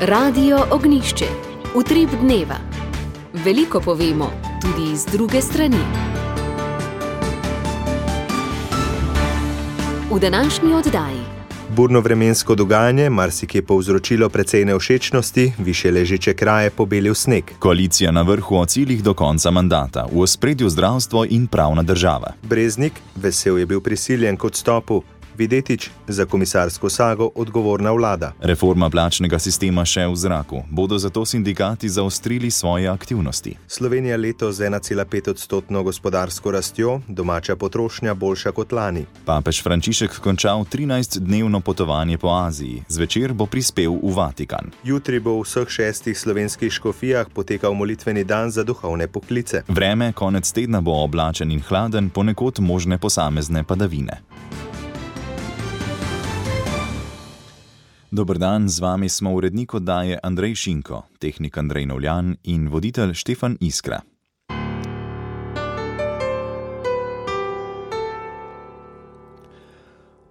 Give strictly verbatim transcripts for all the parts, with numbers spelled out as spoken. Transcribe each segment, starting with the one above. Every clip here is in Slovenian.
Radio Ognjišče. Utrip dneva. Veliko povemo, tudi iz druge strani. V današnji oddaji. Burno vremensko dogajanje marsikje povzročilo precej nevšečnosti, višje ležeče kraje pobelil sneg. Koalicija na vrhu o ciljih do konca mandata, v ospredju zdravstvo in pravna država. Breznik, vesel je bil prisiljen k odstopu. Videtič, za komisarsko sago odgovorna vlada. Reforma plačnega sistema še v zraku. Bodo zato sindikati zaostrili svoje aktivnosti. Slovenija letos z ena cela pet odstotno gospodarsko rastjo, domača potrošnja boljša kot lani. Papež Frančišek končal trinajstdnevno potovanje po Aziji. Zvečer bo prispel v Vatikan. Jutri bo v vseh šestih slovenskih škofijah potekal molitveni dan za duhovne poklice. Vreme konec tedna bo oblačen in hladen, ponekod možne posamezne padavine. Dober dan, z vami smo urednik oddaje Andrej Šinko, tehnik Andrej Novljan in voditelj Štefan Iskra.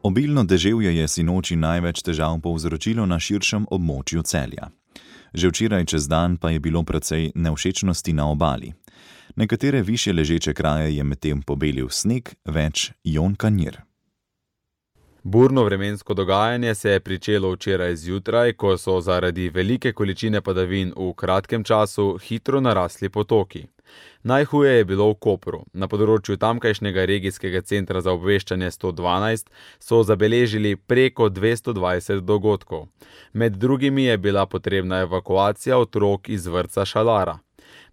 Obilno deževje je sinoči največ težav povzročilo na širšem območju Celja. Že včeraj čez dan pa je bilo precej nevšečnosti na obali. Nekatere višje ležeče kraje je medtem pobelil sneg, več Jon Kanjir. Burno vremensko dogajanje se je pričelo včeraj zjutraj, ko so zaradi velike količine padavin v kratkem času hitro narasli potoki. Najhuje je bilo v Kopru. Na področju tamkajšnjega regijskega centra za obveščanje sto dvanajst so zabeležili preko dvesto dvajset dogodkov. Med drugimi je bila potrebna evakuacija otrok iz vrtca Šalara.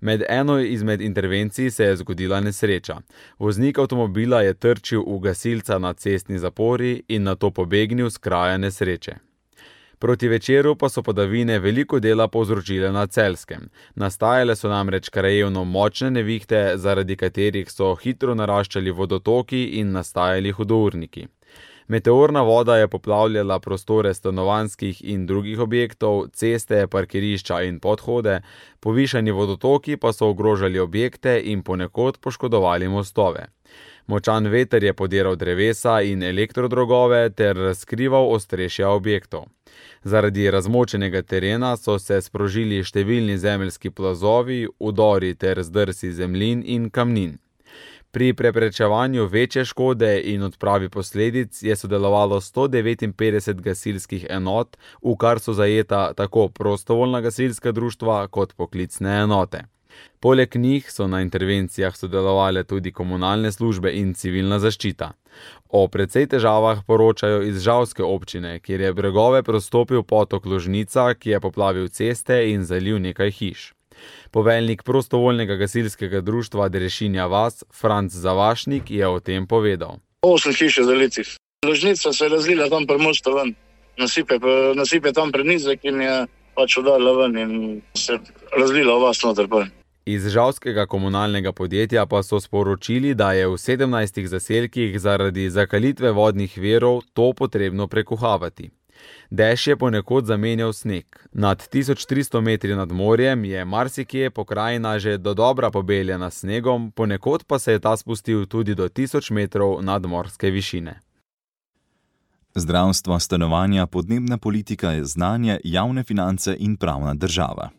Med eno izmed intervencij se je zgodila nesreča. Voznik avtomobila je trčil v gasilca na cestni zapori in nato pobegnil s kraja nesreče. Proti večeru pa so padavine veliko dela povzročile na Celjskem. Nastajale so namreč krajevno močne nevihte, zaradi katerih so hitro naraščali vodotoki in nastajali hudourniki. Meteorna voda je poplavljala prostore stanovanjskih in drugih objektov, ceste, parkirišča in podhode, povišani vodotoki pa so ogrožali objekte in ponekod poškodovali mostove. Močan veter je podiral drevesa in elektrodrogove ter razkrival ostrešja objektov. Zaradi razmočenega terena so se sprožili številni zemeljski plazovi, udori ter zdrsi zemljin in kamnin. Pri preprečevanju večje škode in odpravi posledic je sodelovalo sto devetinpetdeset gasilskih enot, v kar so zajeta tako prostovoljna gasilska društva kot poklicne enote. Poleg njih so na intervencijah sodelovale tudi komunalne službe in civilna zaščita. O precej težavah poročajo iz Žalske občine, kjer je bregove prostopil potok Ložnica, ki je poplavil ceste in zalil nekaj hiš. Poveljnik prostovoljnega gasilskega društva Derešinja vas, Franc Zavašnik, je o tem povedal. Osem hiše zalitih. Ložnica se je razlila tam pri mostu ven. Nasipe, nasipe tam prenizek in je pač udarila ven in se razlila v vas noter. Iz žalskega komunalnega podjetja pa so sporočili, da je v sedemnajstih zaselkih zaradi zakalitve vodnih virov to potrebno prekuhavati. Dež je ponekod zamenjal sneg. Nad tisoč tristo metri nad morjem je marsikje pokrajina že dodobra pobeljena s snegom, ponekod pa se je ta spustil tudi do tisoč metrov nadmorske višine. Zdravstvo, stanovanja, podnebna politika, znanje, javne finance in pravna država.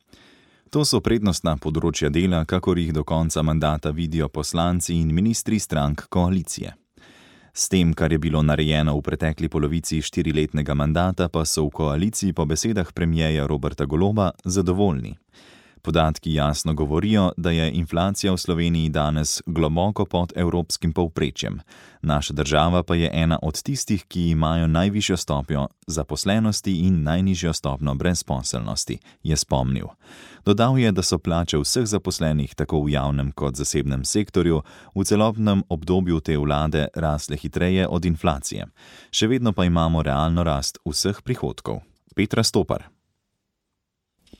To so prednostna področja dela, kakor jih do konca mandata vidijo poslanci in ministri strank koalicije. S tem, kar je bilo narejeno v pretekli polovici štiriletnega mandata, pa so v koaliciji po besedah premierja Roberta Goloba zadovoljni. Podatki jasno govorijo, da je inflacija v Sloveniji danes globoko pod evropskim povprečjem. Naša država pa je ena od tistih, ki imajo najvišjo stopnjo zaposlenosti in najnižjo stopnjo brezposelnosti, je spomnil. Dodal je, da so plače vseh zaposlenih tako v javnem kot zasebnem sektorju v celotnem obdobju te vlade rasle hitreje od inflacije. Še vedno pa imamo realno rast vseh prihodkov. Petra Stopar.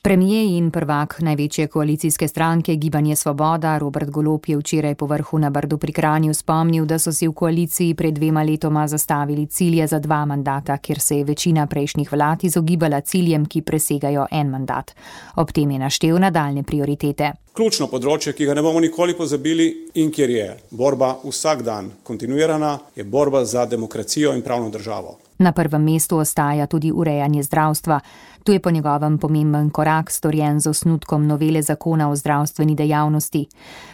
Premier in prvak največje koalicijske stranke Gibanje Svoboda Robert Golob je včeraj po vrhu na Brdu pri Kranju spomnil, da so si v koaliciji pred dvema letoma zastavili cilje za dva mandata, kjer se je večina prejšnjih vlad izogibala ciljem, ki presegajo en mandat. Ob tem je naštel nadaljnje prioritete. Ključno področje, ki ga ne bomo nikoli pozabili in kjer je borba vsak dan kontinuirana, je borba za demokracijo in pravno državo. Na prvem mestu ostaja tudi urejanje zdravstva. Tu je po njegovem pomemben korak storjen z osnutkom novele zakona o zdravstveni dejavnosti.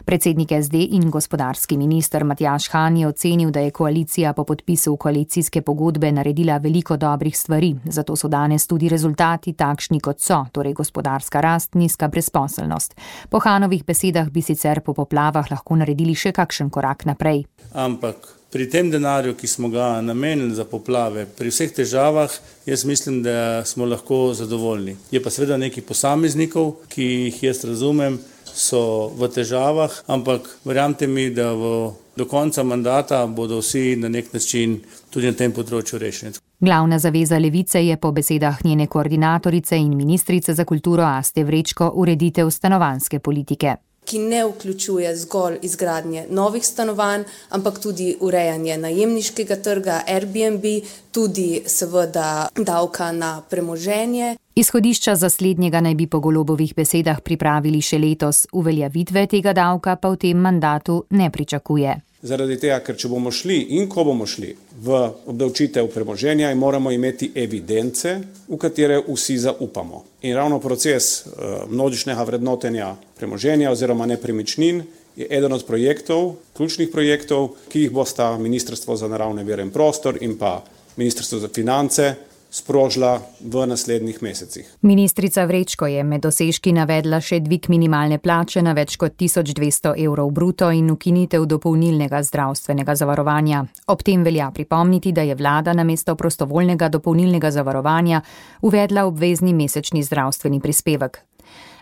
Predsednik S D in gospodarski minister Matjaž Han je ocenil, da je koalicija po podpisu koalicijske pogodbe naredila veliko dobrih stvari, zato so danes tudi rezultati takšni, kot so, torej gospodarska rast, nizka brezposelnost. Po Hanovih besedah bi sicer po poplavah lahko naredili še kakšen korak naprej. Ampak pri tem denarju, ki smo ga namenili za poplave, pri vseh težavah, jaz mislim, da smo lahko zadovoljni. Je pa seveda nekaj posameznikov, ki jih jaz razumem, so v težavah, ampak verjamte mi, da v, do konca mandata bodo vsi na nek način tudi na tem področju rešeni. Glavna zaveza Levice je po besedah njene koordinatorice in ministrice za kulturo Aste Vrečko ureditev stanovanjske politike, ki ne vključuje zgolj izgradnje novih stanovanj, ampak tudi urejanje najemniškega trga, Airbnb, tudi seveda davka na premoženje. Izhodišča za slednjega naj bi po Golobovih besedah pripravili še letos, uveljavitve tega davka pa v tem mandatu ne pričakuje. Zaradi tega, ker če bomo šli in ko bomo šli v obdavčitev premoženja, moramo imeti evidence, v katere vsi zaupamo. In ravno proces množičnega vrednotenja premoženja oziroma nepremičnin je eden od projektov, ključnih projektov, ki jih bosta Ministrstvo za naravne vire in prostor in pa Ministrstvo za finance sprožila v naslednjih mesecih. Ministrica Vrečko je med dosežki navedla še dvig minimalne plače na več kot tisoč dvesto evrov bruto in ukinitev dopolnilnega zdravstvenega zavarovanja. Ob tem velja pripomniti, da je vlada namesto prostovoljnega dopolnilnega zavarovanja uvedla obvezni mesečni zdravstveni prispevek.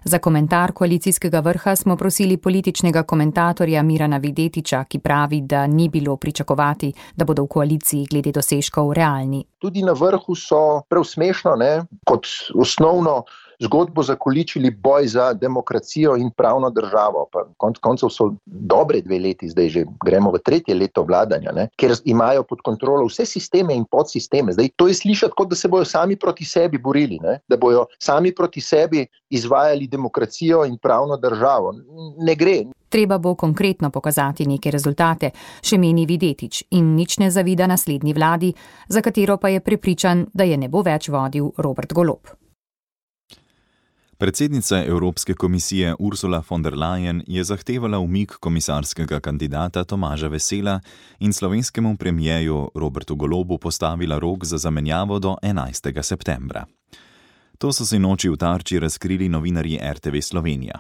Za komentar koalicijskega vrha smo prosili političnega komentatorja Mirana Videtiča, ki pravi, da ni bilo pričakovati, da bodo v koaliciji glede dosežkov realni. Tudi na vrhu so prav smešno, ne, kot osnovno zgodbo zakoličili boj za demokracijo in pravno državo. Pa konc koncev so dobre dve leti, zdaj že gremo v tretje leto vladanja, ne, ker imajo pod kontrolo vse sisteme in podsisteme. Zdaj to je slišati, kot da se bojo sami proti sebi borili, ne, da bojo sami proti sebi izvajali demokracijo in pravno državo. Ne gre. Treba bo konkretno pokazati neke rezultate, še meni Videtič, in nič ne zavida naslednji vladi, za katero pa je prepričan, da je ne bo več vodil Robert Golob. Predsednica Evropske komisije Ursula von der Leyen je zahtevala umik komisarskega kandidata Tomaža Vesela in slovenskemu premierju Robertu Golobu postavila rok za zamenjavo do enajstega septembra. To so se noči v Tarči razkrili novinarji R T V Slovenija.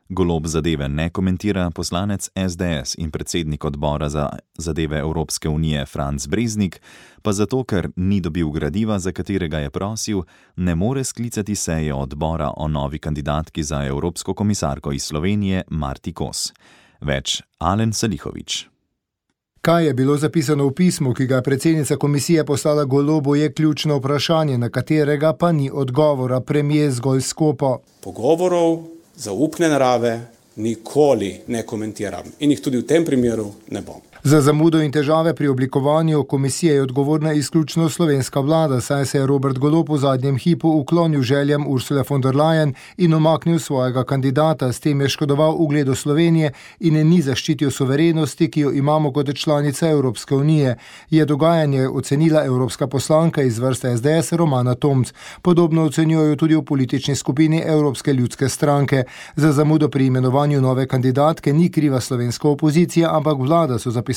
Golob zadeve ne komentira, poslanec S D S in predsednik odbora za zadeve Evropske unije Franc Breznik pa zato, ker ni dobil gradiva, za katerega je prosil, ne more sklicati seje odbora o novi kandidatki za evropsko komisarko iz Slovenije Marti Kos. Več Alen Salihović. Kaj je bilo zapisano v pismu, ki ga je predsednica komisije poslala Golobu, je ključno vprašanje, na katerega pa ni odgovora, premier zgolj skopo. Pogovorov zaupne narave nikoli ne komentiram in jih tudi v tem primeru ne bom. Za zamudo in težave pri oblikovanju komisije je odgovorna izključno slovenska vlada, saj se je Robert Golob v zadnjem hipu uklonil željam Ursule von der Leyen in umaknil svojega kandidata. S tem je škodoval ugledu Slovenije in ni zaščitil suverenosti, ki jo imamo kot članica Evropske unije. Je dogajanje ocenila evropska poslanka iz vrste S D S Romana Tomc. Podobno ocenjujejo tudi v politični skupini Evropske ljudske stranke. Za zamudo pri imenovanju nove kandidatke ni kriva slovenska opozicija, ampak vlada, so zapisali.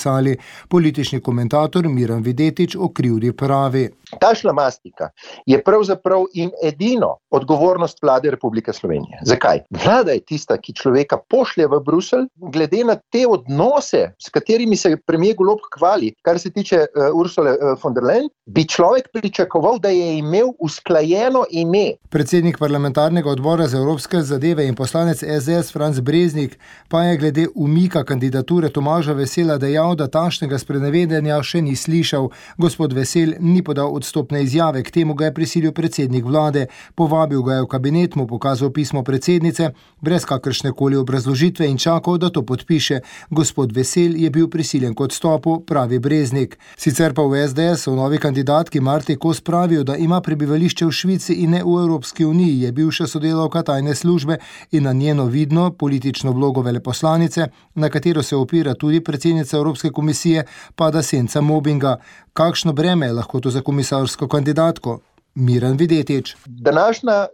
Politični komentator Miran Videtič o krivdi pravi. Ta šlamastika je pravzaprav in edino odgovornost vlade Republike Slovenije. Zakaj? Vlada je tista, ki človeka pošlje v Bruselj, glede na te odnose, s katerimi se premier Golob hvali, kar se tiče uh, Ursule uh, von der Leyen, bi človek pričakoval, da je imel usklajeno ime. Predsednik parlamentarnega odbora za evropske zadeve in poslanec S D S Franc Breznik pa je glede umika kandidature Tomaža Vesela dejal, dejal, da takšnega sprenevedanja še ni slišal. Gospod Vesel ni podal odstopne izjave, k temu ga je prisilil predsednik vlade. Povabil ga je v kabinet, mu pokazal pismo predsednice, brez kakršne koli obrazložitve in čakal, da to podpiše. Gospod Vesel je bil prisiljen k odstopu, pravi Breznik. Sicer pa v S D S v novi kandidatki Marti Kos pravijo, da ima prebivališče v Švici in ne v Evropski uniji, je bivša sodelavka tajne službe in na njeno vidno politično vlogo veleposlanice, na katero se opira tudi predsednica Evropske komisije, pada senca mobinga. Kakšno breme je lahko to za komisarsko kandidatko? Miran Videtič. Današnja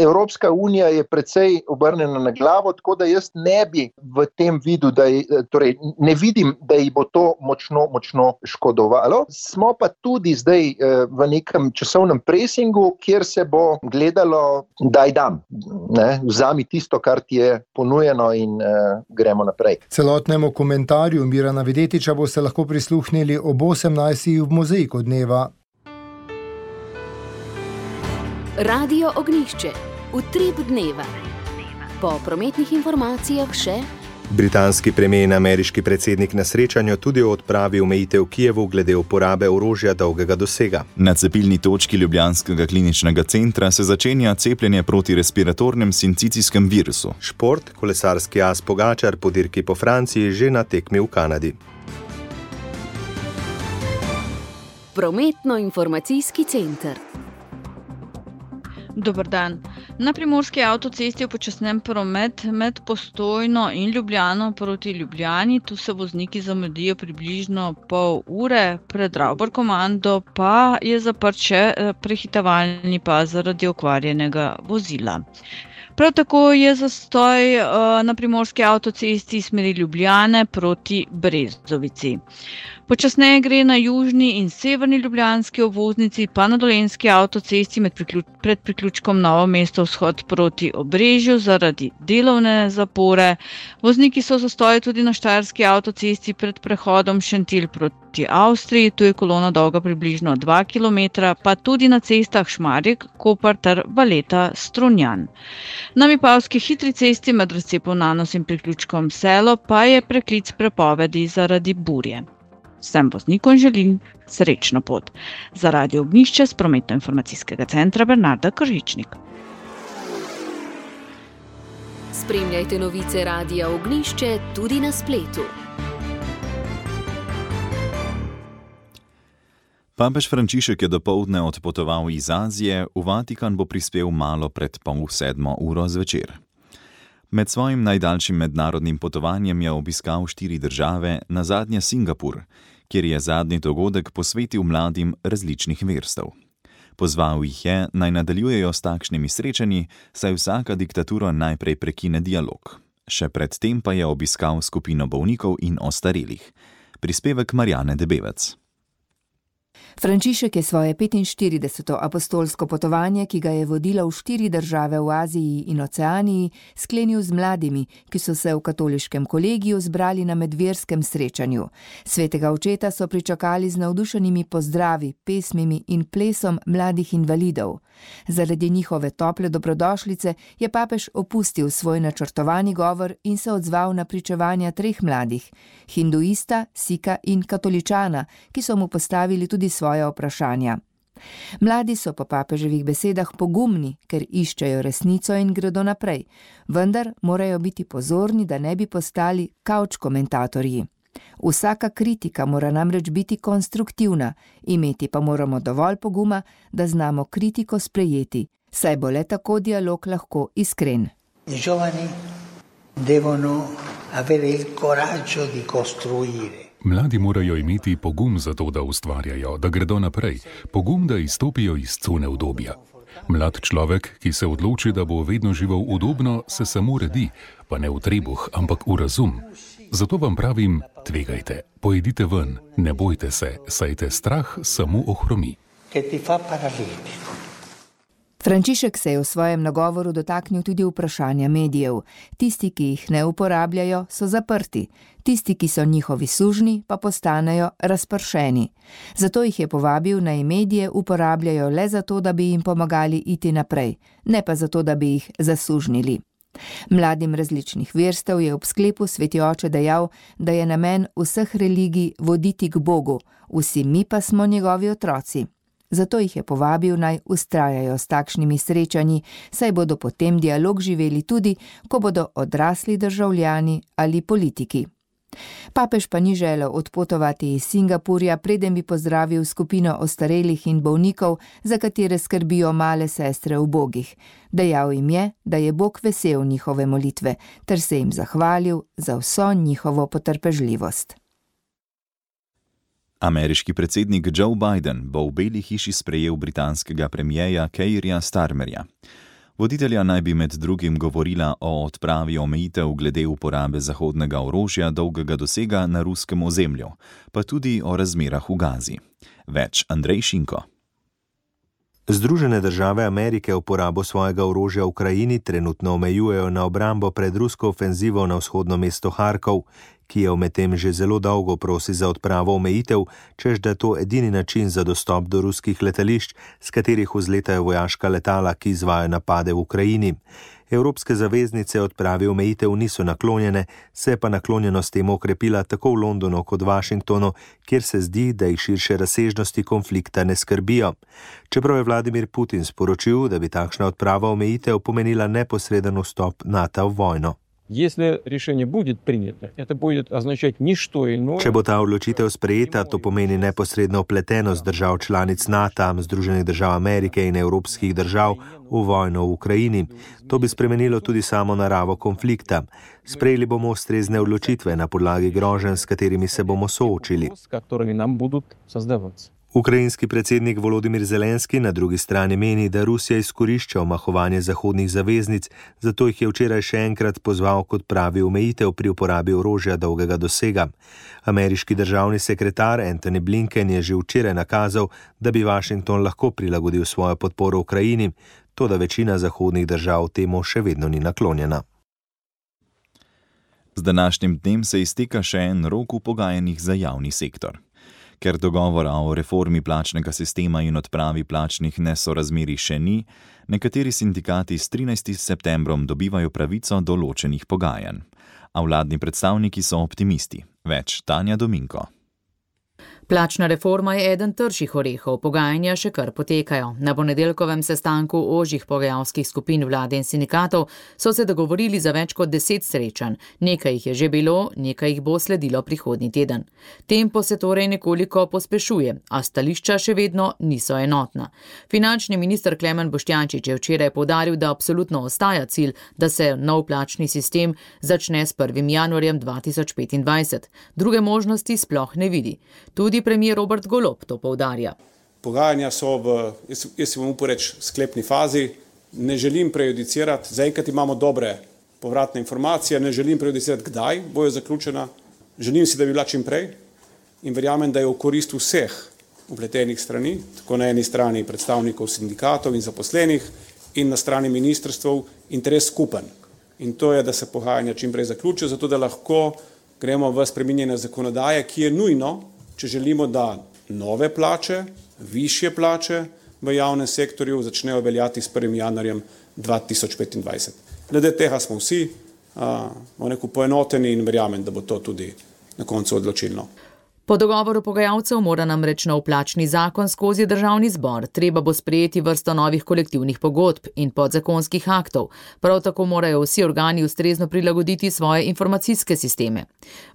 Evropska unija je precej obrnjena na glavo, tako da jaz ne bi v tem vidu, da je, torej ne vidim, da ji bo to močno, močno škodovalo. Smo pa tudi zdaj v nekem časovnem presingu, kjer se bo gledalo, daj dam, ne, vzami tisto, kar ti je ponujeno in uh, gremo naprej. Celotnemu komentarju Mirana Videtiča boste lahko prisluhnili ob osemnajstih v Mozaiku dneva. Radio Ognjišče, utrip dneva. Po prometnih informacijah še: britanski premijer in ameriški predsednik na srečanju tudi o odpravi omejitev v Kijevu glede uporabe orožja dolgega dosega. Na cepilni točki ljubljanskega kliničnega centra se začenja cepljenje proti respiratornem sincicijskem virusu. Šport, kolesarski as Pogačar po dirki po Franciji že na tekmi v Kanadi. Prometno-informacijski center. Dober dan. Na primorski avtocesti je počasnen promet med Postojno in Ljubljano proti Ljubljani. Tu se vozniki zamudijo približno pol ure, pred Ravbar-Komando pa je zaprt še prehitevalni pas zaradi okvarjenega vozila. Prav tako je zastoj uh, na primorski avtocesti smeri Ljubljane proti Brezovici. Počasneje gre na južni in severni ljubljanski obvoznici, pa na dolenjski avtocesti med priključ, pred priključkom Novo mesto vzhod proti Obrežju zaradi delovne zapore. Vozniki so zastoji tudi na štajerski avtocesti pred prehodom Šentilj proti Avstriji, tu je kolona dolga približno dva kilometra, pa tudi na cestah Šmarjek, Koper ter Valeta Strunjan. Na Mipavski hitri cesti med razcepom Nanos in priključkom Selo pa je preklic prepovedi zaradi burje. Vsem voznikom želim srečno pot. Za Radio Ognjišče s prometno-informacijskega centra Bernarda Kržičnik. Spremljajte novice Radia Ognjišče tudi na spletu. Papež Frančišek je dopoldne odpotoval iz Azije, v Vatikan bo prispel malo pred pol sedmo uro zvečer. Med svojim najdaljšim mednarodnim potovanjem je obiskal štiri države, nazadnje Singapur, kjer je zadnji dogodek posvetil mladim različnih verstev. Pozval jih je, naj nadaljujejo s takšnimi srečanji, saj vsaka diktatura najprej prekine dialog. Še predtem pa je obiskal skupino bolnikov in ostarelih. Prispevek Marjane Debevec. Frančišek je svoje petinštirideseto apostolsko potovanje, ki ga je vodila v štiri države v Aziji in Oceaniji, sklenil z mladimi, ki so se v katoliškem kolegiju zbrali na medverskem srečanju. Svetega očeta so pričakali z navdušenimi pozdravi, pesmimi in plesom mladih invalidov. Zaradi njihove tople dobrodošlice je papež opustil svoj načrtovani govor in se odzval na pričevanja treh mladih, hinduista, sika in katoličana, ki so mu postavili tudi svoje vprašanja. Mladi so po papeževih besedah pogumni, ker iščejo resnico in gredo naprej, vendar morajo biti pozorni, da ne bi postali kavč komentatorji. Vsaka kritika mora namreč biti konstruktivna, imeti pa moramo dovolj poguma, da znamo kritiko sprejeti, saj bo le tako dialog lahko iskren. I giovani devono avere il coraggio di costruire. Mladi morajo imeti pogum za to, da ustvarjajo, da gredo naprej, pogum, da izstopijo iz cone udobja. Mlad človek, ki se odloči, da bo vedno živel udobno, se samo redi, pa ne v trebuh, ampak v razum. Zato vam pravim, tvegajte, pojdite ven, ne bojte se, saj te strah samo ohromi. Frančišek se je v svojem nagovoru dotaknil tudi vprašanja medijev. Tisti, ki jih ne uporabljajo, so zaprti. Tisti, ki so njihovi sužnji, pa postanejo razpršeni. Zato jih je povabil, naj medije uporabljajo le zato, da bi jim pomagali iti naprej, ne pa zato, da bi jih zasužnili. Mladim različnih verstev je ob sklepu sveti oče dejal, da je namen vseh religij voditi k Bogu, vsi mi pa smo njegovi otroci. Zato jih je povabil, naj vztrajajo s takšnimi srečanji, saj bodo potem dialog živeli tudi, ko bodo odrasli državljani ali politiki. Papež pa ni želel odpotovati iz Singapurja, preden bi pozdravil skupino ostarelih in bolnikov, za katere skrbijo male sestre ubogih. Dejal jim je, da je Bog vesel njihove molitve, ter se jim zahvalil za vso njihovo potrpežljivost. Ameriški predsednik Joe Biden bo v Beli hiši sprejel britanskega premierja Keirja Starmerja. Voditelja naj bi med drugim govorila o odpravi omejitev glede uporabe zahodnega orožja dolgega dosega na ruskem ozemlju, pa tudi o razmerah v Gazi. Več Andrej Šinko. Združene države Amerike uporabo svojega orožja v Ukrajini trenutno omejujejo na obrambo pred rusko ofenzivo na vzhodno mesto Harkov, ki je medtem že zelo dolgo prosi za odpravo omejitev, čež da je to edini način za dostop do ruskih letališč, s katerih vzletajo vojaška letala, ki izvajajo napade v Ukrajini. Evropske zaveznice odpravi omejitev niso naklonjene, se je pa naklonjenost temu okrepila tako v Londonu kot Washingtonu, kjer se zdi, da jih širše razsežnosti konflikta ne skrbijo. Čeprav je Vladimir Putin sporočil, da bi takšna odprava omejitev pomenila neposreden vstop NATO v vojno. Če bo ta odločitev sprejeta, to pomeni neposredno vpletenost držav članic NATO, Združenih držav Amerike in evropskih držav v vojno v Ukrajini. To bi spremenilo tudi samo naravo konflikta. Sprejeli bomo ustrezne odločitve na podlagi groženj, s katerimi se bomo soočili. Ukrajinski predsednik Volodimir Zelenski na drugi strani meni, da Rusija izkorišča omahovanje zahodnih zaveznic, zato jih je včeraj še enkrat pozval kot pravi omejitev pri uporabi orožja dolgega dosega. Ameriški državni sekretar Antony Blinken je že včeraj nakazal, da bi Washington lahko prilagodil svojo podporo Ukrajini, toda večina zahodnih držav temu še vedno ni naklonjena. Z današnjim dnem se izteka še en rok v pogajanjih za javni sektor. Ker dogovora o reformi plačnega sistema in odpravi plačnih nesorazmerij še ni, nekateri sindikati s trinajstim septembrom dobivajo pravico do ločenih pogajanj. A vladni predstavniki so optimisti. Več Tanja Dominko. Plačna reforma je eden trših orehov, pogajanja še kar potekajo. Na ponedeljkovem sestanku ožjih pogajalskih skupin vlade in sindikatov so se dogovorili za več kot deset srečanj. Nekaj jih je že bilo, nekaj jih bo sledilo prihodnji teden. Tempo se torej nekoliko pospešuje, a stališča še vedno niso enotna. Finančni minister Klemen Boštjančič je včeraj poudaril, da absolutno ostaja cilj, da se nov plačni sistem začne s prvim januarjem dva tisoč petindvajset. Druge možnosti sploh ne vidi. Tudi premier Robert Golob to poudarja. Pogajanja so v, jaz, jaz si bom upal reči, sklepni fazi. Ne želim prejudicirati, zaenkrat imamo dobre povratne informacije, ne želim prejudicirati, kdaj bojo zaključena. Želim si, da bi bila čim prej in verjamem, da je v korist vseh vpletenih strani, tako na eni strani predstavnikov sindikatov in zaposlenih in na strani ministrstv interes skupen. In to je, da se pogajanja čim prej zaključijo, zato da lahko gremo v spreminjanje zakonodaje, ki je nujno, če želimo, da nove plače, višje plače v javnem sektorju začnejo veljati s prvim januarjem dva tisoč petindvajset. Glede tega smo vsi uh, poenoteni in verjamem, da bo to tudi na koncu odločilno. Po dogovoru pogajalcev mora namreč nov plačni zakon skozi državni zbor. Treba bo sprejeti vrsto novih kolektivnih pogodb in podzakonskih aktov. Prav tako morajo vsi organi ustrezno prilagoditi svoje informacijske sisteme.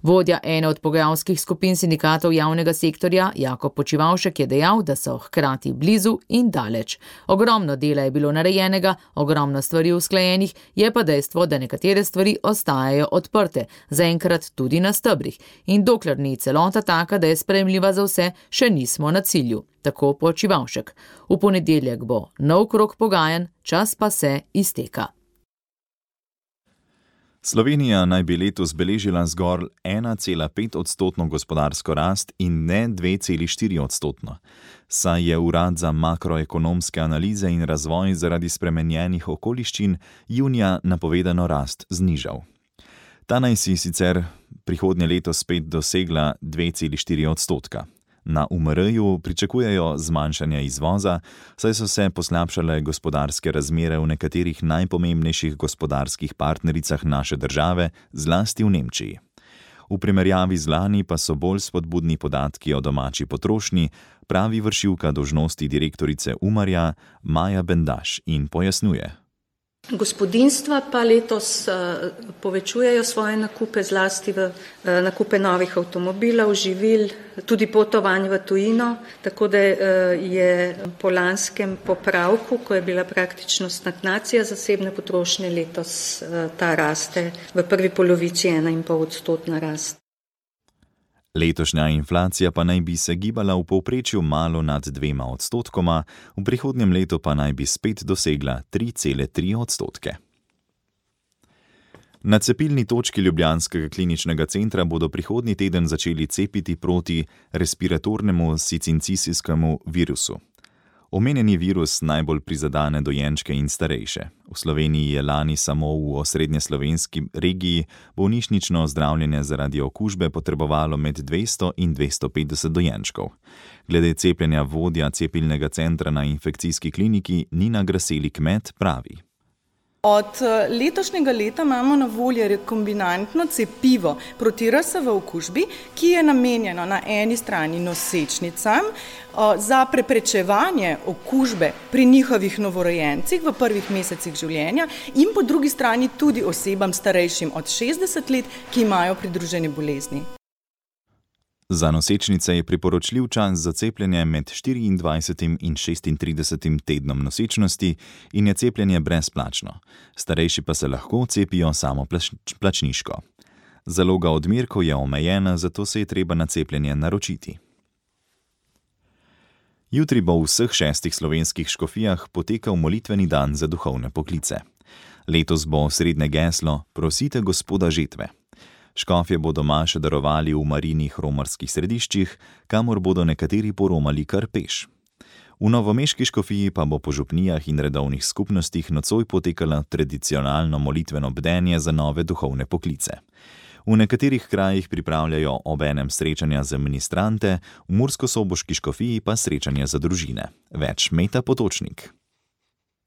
Vodja ene od pogajalskih skupin sindikatov javnega sektorja, Jakob Počivavšek, je dejal, da so hkrati blizu in daleč. Ogromno dela je bilo narejenega, ogromno stvari usklajenih, je pa dejstvo, da nekatere stvari ostajajo odprte, zaenkrat tudi na stebrih. In dokler ni celota taka, da je sprejemljiva za vse, še nismo na cilju. Tako Počivavšek. V ponedeljek bo nov krog pogajanj, čas pa se izteka. Slovenija naj bi letos beležila zgolj ena cela pet odstotno gospodarsko rast in ne dve celi štiri odstotno. Saj je Urad za makroekonomske analize in razvoj zaradi spremenjenih okoliščin junija napovedano rast znižal. Ta naj si sicer prihodnje leto spet dosegla dve celi štiri odstotka. Na U M R-ju pričakujejo zmanjšanje izvoza, saj so se poslabšale gospodarske razmere v nekaterih najpomembnejših gospodarskih partnericah naše države, zlasti v Nemčiji. V primerjavi z lani pa so bolj spodbudni podatki o domači potrošnji, pravi vršilka dolžnosti direktorice Umarja Maja Bendaš in pojasnjuje. Gospodinjstva pa letos povečujejo svoje nakupe, zlasti v nakupe novih avtomobilov, živil, tudi potovanj v tujino, tako da je po lanskem popravku, ko je bila praktično stagnacija zasebne potrošnje, letos ta raste v prvi polovici ena in pol odstotna rast. Letošnja inflacija pa naj bi se gibala v povprečju malo nad dvema odstotkoma, v prihodnjem letu pa naj bi spet dosegla tri cele tri odstotke. Na cepilni točki ljubljanskega kliničnega centra bodo prihodnji teden začeli cepiti proti respiratornemu sincicijskemu virusu. Omenjeni virus najbolj prizadane dojenčke in starejše. V Sloveniji je lani samo v osrednjeslovenski regiji bolnišnično zdravljenje zaradi okužbe potrebovalo med dvesto in dvesto petdeset dojenčkov. Glede cepljenja vodja cepilnega centra na infekcijski kliniki Nina Graseli-Kmet pravi. Od letošnjega leta imamo na voljo rekombinantno cepivo proti R S V okužbi, ki je namenjeno na eni strani nosečnicam za preprečevanje okužbe pri njihovih novorojencih v prvih mesecih življenja in po drugi strani tudi osebam starejšim od šestdeset let, ki imajo pridružene bolezni. Za nosečnice je priporočljiv čas za cepljenje med štiriindvajsetim in šestintridesetim tednom nosečnosti in je cepljenje brezplačno. Starejši pa se lahko cepijo samo plačniško. Zaloga odmerkov je omejena, zato se je treba na cepljenje naročiti. Jutri bo v vseh šestih slovenskih škofijah potekal molitveni dan za duhovne poklice. Letos bo osrednje geslo Prosite Gospoda žetve. Škofje bodo maše darovali v marinih romarskih središčih, kamor bodo nekateri poromali kar peš. V novomeški škofiji pa bo po župnijah in redovnih skupnostih nocoj potekalo tradicionalno molitveno bdenje za nove duhovne poklice. V nekaterih krajih pripravljajo obenem srečanja za ministrante, v murskosoboški škofiji pa srečanja za družine. Več Meta Potočnik.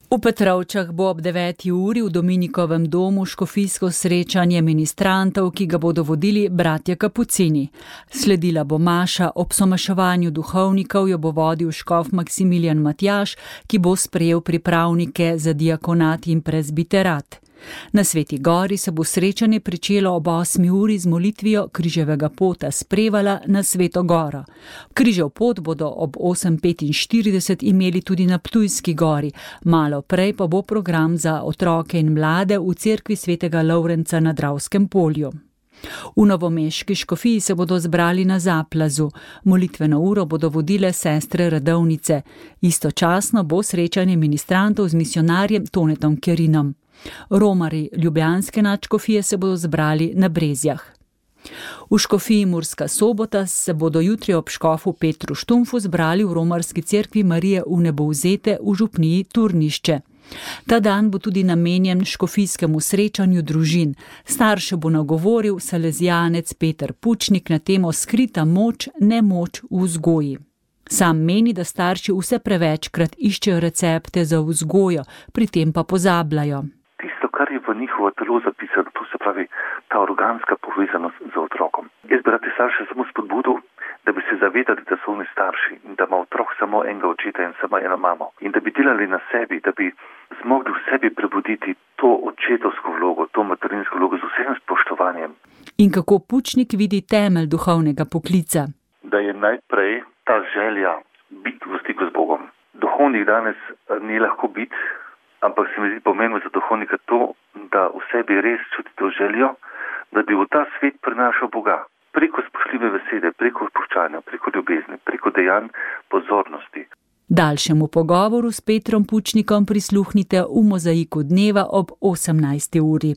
V Petrovčah bo ob deveti uri v Dominikovem domu škofijsko srečanje ministrantov, ki ga bodo vodili bratje Kapucini. Sledila bo maša, ob somaševanju duhovnikov jo bo vodil škof Maksimilijan Matjaž, ki bo sprejel pripravnike za diakonat in prezbiterat. Na Sveti Gori se bo srečanje pričelo ob osmi uri z molitvijo križevega pota s Prevala na Sveto Goro. Križev pot bodo ob osem petinštirideset imeli tudi na Ptujski gori, malo prej pa bo program za otroke in mlade v cerkvi svetega Lovrenca na Dravskem polju. V novomeški škofiji se bodo zbrali na Zaplazu. Molitveno uro bodo vodile sestre redovnice. Istočasno bo srečanje ministrantov z misionarjem Tonetom Kerinom. Romari ljubljanske nadškofije se bodo zbrali na Brezjah. V škofiji Murska Sobota se bodo jutri ob škofu Petru Štumfu zbrali v romarski cerkvi Marije Vnebovzete v župniji Turnišče. Ta dan bo tudi namenjen škofijskemu srečanju družin. Starše bo nagovoril salezijanec Peter Pučnik na temo Skrita moč, nemoč v vzgoji. Sam meni, da starši vse prevečkrat iščejo recepte za vzgojo, pri tem pa pozabljajo. Tisto, kar je v njihovo telo zapisano, to se pravi ta organska povezanost z otrokom. Jaz bi rad te starše samo spodbudil, da bi se zavedali, da so oni starši in da ima otrok samo enega očeta in samo eno mamo. In da bi delali na sebi, da bi zmogli v sebi prebuditi to očetovsko vlogo, to materinsko vlogo z vsem spoštovanjem. In kako Pučnik vidi temelj duhovnega poklica? Da je najprej ta želja biti v stiku z Bogom. Duhovnik danes ni lahko biti, ampak se mi zdi pomembno za duhovnika to, da v sebi res čuti to željo, da bi v ta svet prinašal Boga. Preko spoštljive besede, preko odpuščanja, preko ljubezni, preko dejanj pozornosti. Daljšemu pogovoru s Petrom Pučnikom prisluhnite v Mozaiku dneva ob osemnajsti uri.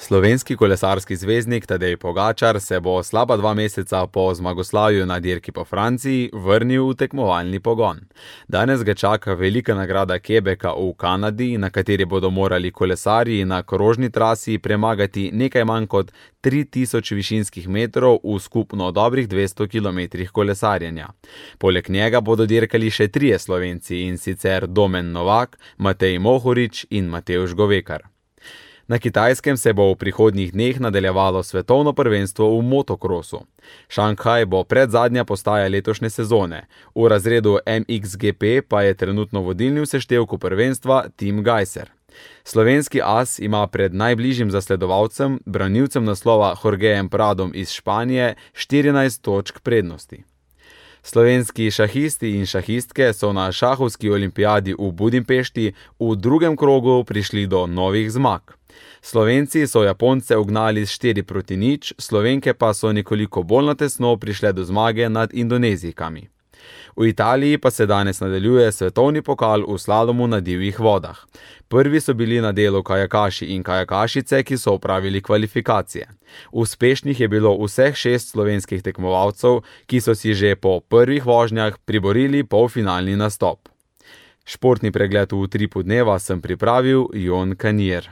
Slovenski kolesarski zvezdnik Tadej Pogačar se bo slaba dva meseca po zmagoslavju na dirki po Franciji vrnil v tekmovalni pogon. Danes ga čaka velika nagrada Quebeca v Kanadi, na kateri bodo morali kolesarji na krožni trasi premagati nekaj manj kot tri tisoč višinskih metrov v skupno dobrih dvesto kilometrih kolesarjenja. Poleg njega bodo dirkali še trije Slovenci, in sicer Domen Novak, Matej Mohorič in Matevž Govekar. Na Kitajskem se bo v prihodnjih dneh nadaljevalo svetovno prvenstvo v motokrosu. Šanghaj bo predzadnja postaja letošnje sezone. V razredu M X G P pa je trenutno vodilni v seštevku prvenstva Tim Gajser. Slovenski as ima pred najbližjim zasledovalcem, branilcem naslova Jorgejem Pradom iz Španije, štirinajst točk prednosti. Slovenski šahisti in šahistke so na šahovski olimpijadi v Budimpešti v drugem krogu prišli do novih zmag. Slovenci so Japonce ugnali s štiri proti nič, Slovenke pa so nekoliko bolj na tesno prišle do zmage nad Indonezijkami. V Italiji pa se danes nadaljuje svetovni pokal v slalomu na divjih vodah. Prvi so bili na delu kajakaši in kajakašice, ki so opravili kvalifikacije. Uspešnih je bilo vseh šest slovenskih tekmovalcev, ki so si že po prvih vožnjah priborili polfinalni nastop. Športni pregled v utripu dneva sem pripravil Jon Kanjer.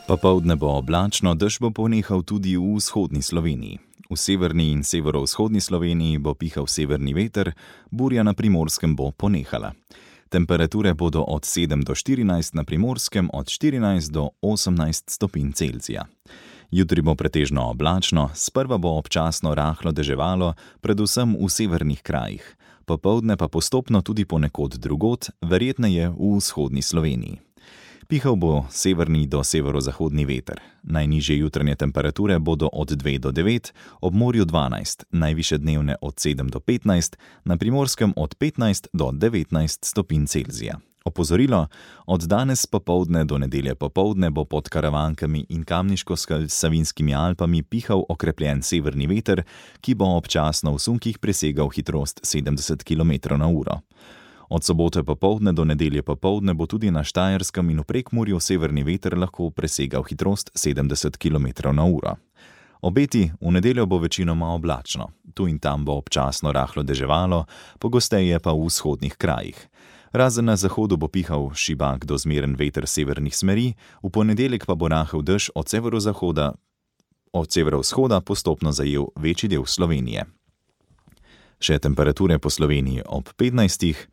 Popoldne bo oblačno, dež bo ponehal tudi v vzhodni Sloveniji. V severni in severovzhodni Sloveniji bo pihal severni veter, burja na Primorskem bo ponehala. Temperature bodo od sedem do štirinajst, na Primorskem od štirinajst do osemnajst stopinj Celzija. Jutri bo pretežno oblačno, sprva bo občasno rahlo deževalo, predvsem v severnih krajih. Popoldne pa postopno tudi ponekod drugod, verjetneje v vzhodni Sloveniji. Pihal bo severni do severozahodni veter. Najnižje jutranje temperature bodo od dve do devet, ob morju dvanajst, najvišje dnevne od sedem do petnajst, na Primorskem od petnajst do devetnajst stopinj Celzija. Opozorilo, od danes popoldne do nedelje popoldne bo pod Karavankami in Kamniško-Savinskimi Alpami pihal okrepljen severni veter, ki bo občasno v sunkih presegal hitrost sedemdeset kilometrov na uro. Od sobote popoldne do nedelje popoldne bo tudi na Štajerskem in v Prekmurju severni veter lahko presegal hitrost sedemdeset kilometrov na uro. Obeti, v nedeljo bo večinoma oblačno. Tu in tam bo občasno rahlo deževalo, pogosteje pa v vzhodnih krajih. Razen na zahodu bo pihal šibak do zmeren veter severnih smeri, v ponedeljek pa bo rahel dež od severozahoda, od severovzhoda postopno zajel večji del Slovenije. Še temperature po Sloveniji ob petnajstih,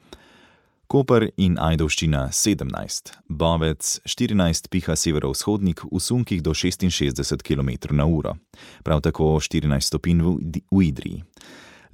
Koper in Ajdovščina sedemnajst, Bovec štirinajst, piha severovzhodnik v sunkih do šestinšestdeset kilometrov na uro, prav tako štirinajst stopinj v Idriji.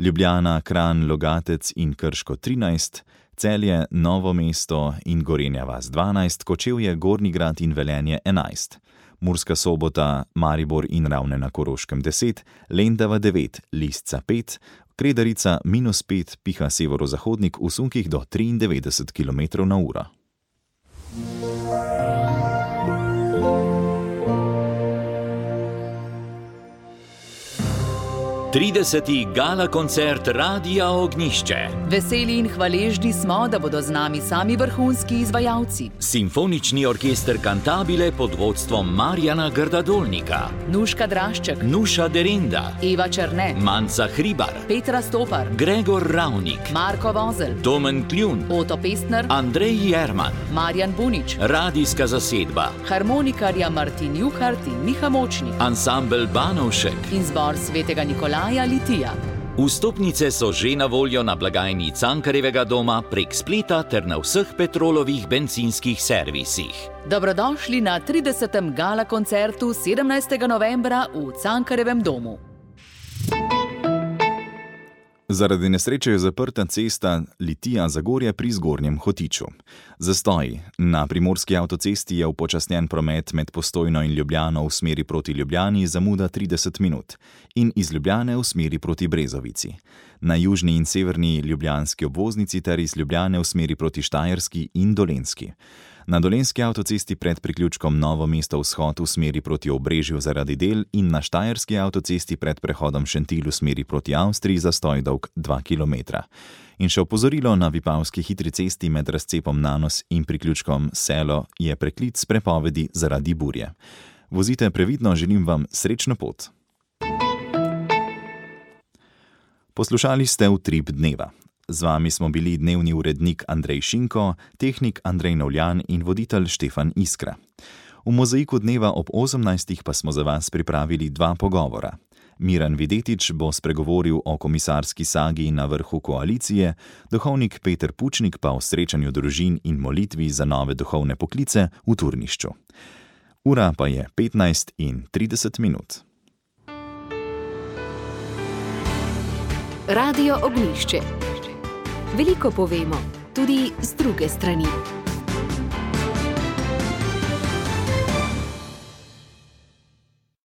Ljubljana, Kranj, Logatec in Krško trinajst, Celje, Novo mesto in Gorenja vas dvanajst, Kočevje, Gornji Grad in Velenje enajst. Murska Sobota, Maribor in Ravne na Koroškem deset, Lendava devet, Lisca pet, Kredarica minus pet, piha severozahodnik v sunkih do triindevetdeset kilometrov na uro. trideseti gala koncert Radia Ognjišče. Veseli in hvaležni smo, da bodo z nami sami vrhunski izvajalci. Simfonični orkester Cantabile pod vodstvom Marjana Grdadolnika. Nuška Drašček, Nuša Derinda, Eva Černe, Manca Hribar, Petra Stopar, Gregor Ravnik, Marko Vozel, Domen Kljun, Oto Pestner, Andrej Jerman, Marjan Bunič, radijska zasedba, harmonikarja Martin Juhart in Miha Močnik, ansambel Banovšek in zbor Svetega Nikolaja Litija. Vstopnice so že na voljo na blagajni Cankarjevega doma prek spleta ter na vseh Petrolovih bencinskih servisih. Dobrodošli na tridesetem gala koncertu sedemnajstega novembra v Cankarjevem domu. Zaradi nesreče je zaprta cesta Litija-Zagorje pri Zgornjem Hotiču. Zastoj. Na primorski avtocesti je upočasnjen promet med Postojno in Ljubljano v smeri proti Ljubljani zamuda trideset minut in iz Ljubljane v smeri proti Brezovici. Na južni in severni ljubljanski obvoznici ter iz Ljubljane v smeri proti Štajerski in Dolenjski. Na Dolenjski avtocesti pred priključkom Novo mesto vzhod v smeri proti Obrežju zaradi del in na Štajerski avtocesti pred prehodom Šentilj v smeri proti Avstriji zastoj dolg dva kilometra. In še opozorilo na Vipavski hitri cesti med razcepom Nanos in priključkom Selo je preklic prepovedi zaradi burje. Vozite previdno, želim vam srečno pot. Poslušali ste Utrip dneva. Z vami smo bili dnevni urednik Andrej Šinko, tehnik Andrej Novljan in voditelj Štefan Iskra. V mozaiku dneva ob osemnajstih pa smo za vas pripravili dva pogovora. Miran Videtič bo spregovoril o komisarski sagi na vrhu koalicije, duhovnik Peter Pučnik pa o srečanju družin in molitvi za nove duhovne poklice v Turnišču. Ura pa je petnajst in trideset minut. Radio Ognjišče. Veliko povemo, tudi z druge strani.